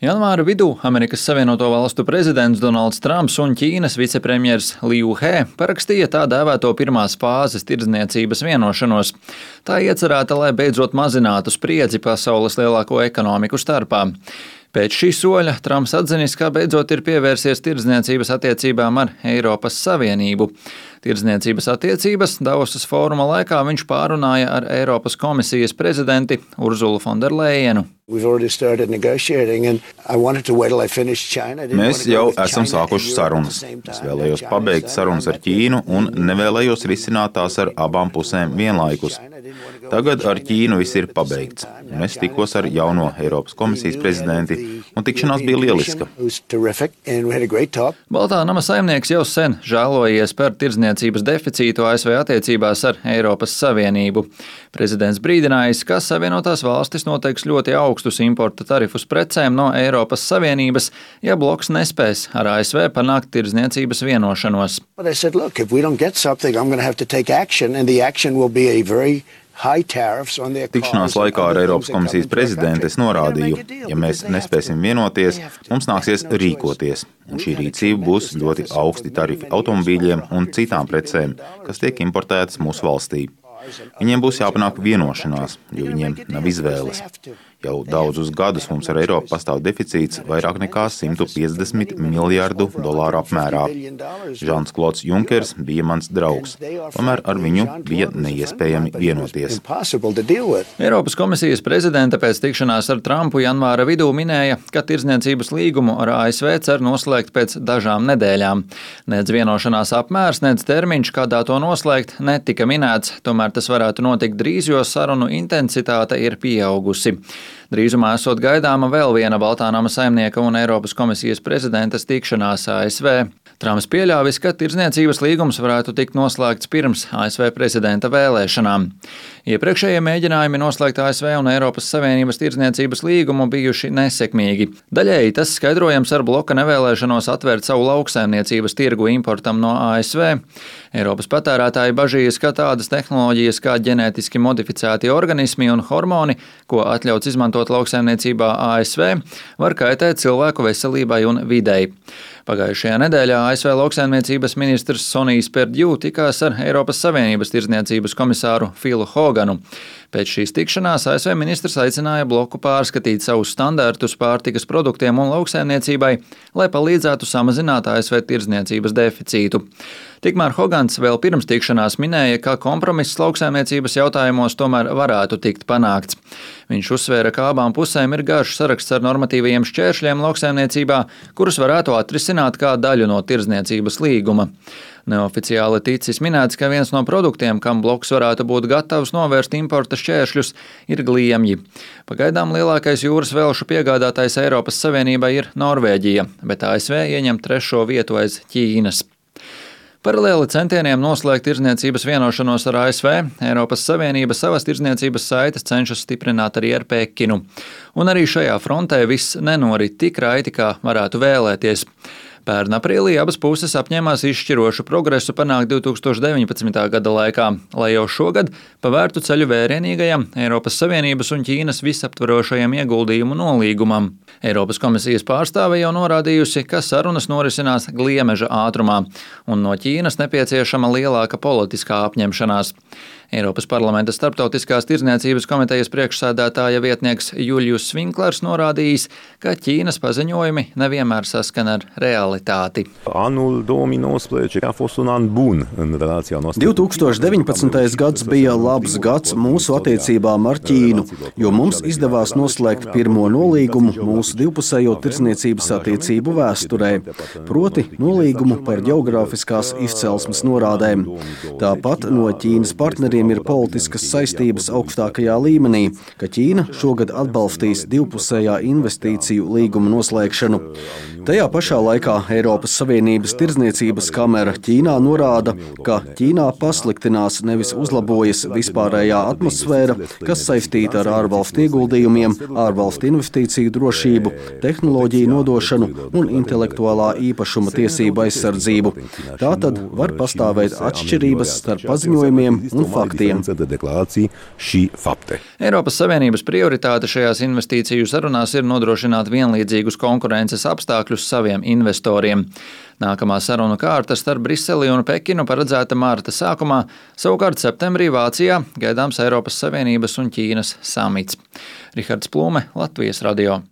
Janvāra vidū Amerikas Savienoto Valstu prezidents Donalds Trumps un Ķīnas vicepremjers Liu He parakstīja tā dēvēto pirmās fāzes tirdzniecības vienošanos. Tā iecerēta, lai beidzot mazinātu spriedzi pasaules lielāko ekonomiku starpā. Pēc šī soļa Trumps atzinis, ka beidzot ir pievērsies tirdzniecības attiecībām ar Eiropas Savienību. Tirdzniecības attiecības Davosas fóruma laikā viņš pārunāja ar Eiropas komisijas prezidenti Urzulu Fonderlejenu. Mēs jau esam sākuši sarunas. Es vēlējos pabeigt sarunas ar Ķīnu un nevēlējos risināt tās ar abām pusēm vienlaikus. Tagad ar Ķīnu viss ir pabeigts. Es tikos ar jauno Eiropas komisijas prezidenti un tikšanās bija lieliska. Baltā nama saimnieks jau sen žēlojies par tirdzniecības deficītu ASV attiecībās ar Eiropas Savienību. Prezidents brīdinājis, ka Savienotās valstis noteiks ļoti augstus importa tarifus precēm no Eiropas Savienības, ja bloks nespēs ar ASV panākt tirdzniecības vienošanos. Tikšanās laikā ar Eiropas komisijas prezidentu es norādīju, ja mēs nespēsim vienoties, mums nāksies rīkoties. Un šī rīcība būs ļoti augsti tarifi automobīļiem un citām precēm, kas tiek importētas mūsu valstī. Viņiem būs jāpanāk vienošanās, jo viņiem nav izvēles. Jau daudzus gadus mums ar Eiropu pastāv deficīts vairāk nekā $150 miljārdu apmērā. Žans Klods Junkers bija mans draugs, tomēr ar viņu bija neiespējami vienoties. Eiropas komisijas prezidente pēc tikšanās ar Trumpu janvāra vidū minēja, ka tirdzniecības līgumu ar ASV cer noslēgt pēc dažām nedēļām. Nec vienošanās apmērs, nec termiņš, kādā to noslēgt, netika minēts, tomēr tas varētu notikt drīz, jo sarunu intensitāte ir pieaugusi. Drīzumā esot gaidāma vēl viena Baltā nama saimnieka un Eiropas komisijas prezidentas tikšanās ASV. Trumps pieļāvis, ka tirdzniecības līgums varētu tikt noslēgts pirms ASV prezidenta vēlēšanām. Iepriekšējie mēģinājumi noslēgt ASV un Eiropas Savienības tirdzniecības līgumu bijuši nesekmīgi. Daļēji tas skaidrojams ar bloka nevēlēšanos atvērt savu lauksaimniecības tirgu importam no ASV. Eiropas patērētāji bažījas, ka tādas tehnoloģijas kā ģenētiski modificēti organismi un hormoni, ko atļauts izmantot lauksaimniecībā ASV, var kaitēt cilvēku veselībai un videi. Pagājušajā nedēļā ASV lauksaimniecības ministrs Sonijs Perdju tikās ar Eiropas Savienības tirdzniecības komisāru Filu Hoganu. Pēc šīs tikšanās ASV ministrs aicināja bloku pārskatīt savus standartus pārtikas produktiem un lauksaimniecībai, lai palīdzētu samazināt ASV tirdzniecības deficītu. Tikmēr Hogans vēl pirms tikšanās minēja, ka kompromiss lauksaimniecības jautājumos tomēr varētu tikt panākts. Viņš uzsvēra, ka abām pusēm ir garš saraksts ar normatīvajiem šķēršļiem lauksaimniecībā, kurus varētu atrisināt kā daļu no tirdzniecības līguma. Neoficiāli ticis minēts, ka viens no produktiem, kam bloks varētu būt gatavs novērst importa šķēršļus, ir gliemji. Pagaidām lielākais jūras velšu piegādātājs Eiropas Savienībai ir Norvēģija, bet ASV ieņem 3. vietu aiz Ķīnas. Paralēli centieniem noslēgt tirdzniecības vienošanos ar ASV, Eiropas Savienība savas tirdzniecības saites cenšas stiprināt arī ar Pekinu. Un arī šajā frontē viss nenorit tik raiti, kā varētu vēlēties. Pērn aprīlī abas puses apņēmās izšķirošu progresu panākt 2019. gada laikā, lai jau šogad pavērtu ceļu vērienīgajam Eiropas Savienības un Ķīnas visaptverošajam ieguldījumu nolīgumam. Eiropas komisijas pārstāve jau norādījusi, ka sarunas norisinās gliemeža ātrumā, un no Ķīnas nepieciešama lielāka politiskā apņemšanās. Eiropas parlamenta starptautiskās tirdzniecības komitejas priekšsēdētāja vietnieks Julius Svinklers norādījis, ka Ķīnas paziņojumi nevienmēr saskan ar realitāti. 2019. gads bija labs gads mūsu attiecībām ar Ķīnu, jo mums izdevās noslēgt pirmo nolīgumu mūsu divpusējo tirdzniecības attiecību vēsturē, proti nolīgumu par ģeogrāfiskās izcelsmes norādēm. Tāpat no Ķīnas partneriem ir politiskas saistības augstākajā līmenī, ka Ķīna šogad atbalstīs divpusējā investīciju līguma noslēgšanu. Tajā pašā laikā Eiropas Savienības tirdzniecības kamera Ķīnā norāda, ka Ķīnā pasliktinās, nevis uzlabojas vispārējā atmosfēra, kas saistīta ar ārvalstu ieguldījumiem, ārvalstu investīciju drošību, tehnoloģiju nodošanu un intelektuālā īpašuma tiesību aizsardzību. Tātad var pastāvēt atšķirības starp paziņojumiem un faktiem. faktiem. Eiropas Savienības prioritāte šajās investīciju sarunās ir nodrošināt vienlīdzīgus konkurences apstākļus saviem investoriem. Nākamā sarunu kārta starp Briseli un Pekinu paredzēta marta sākumā, savukārt septembrī Vācijā gaidāms Eiropas Savienības un Ķīnas samits. Rihards Plūme, Latvijas radio.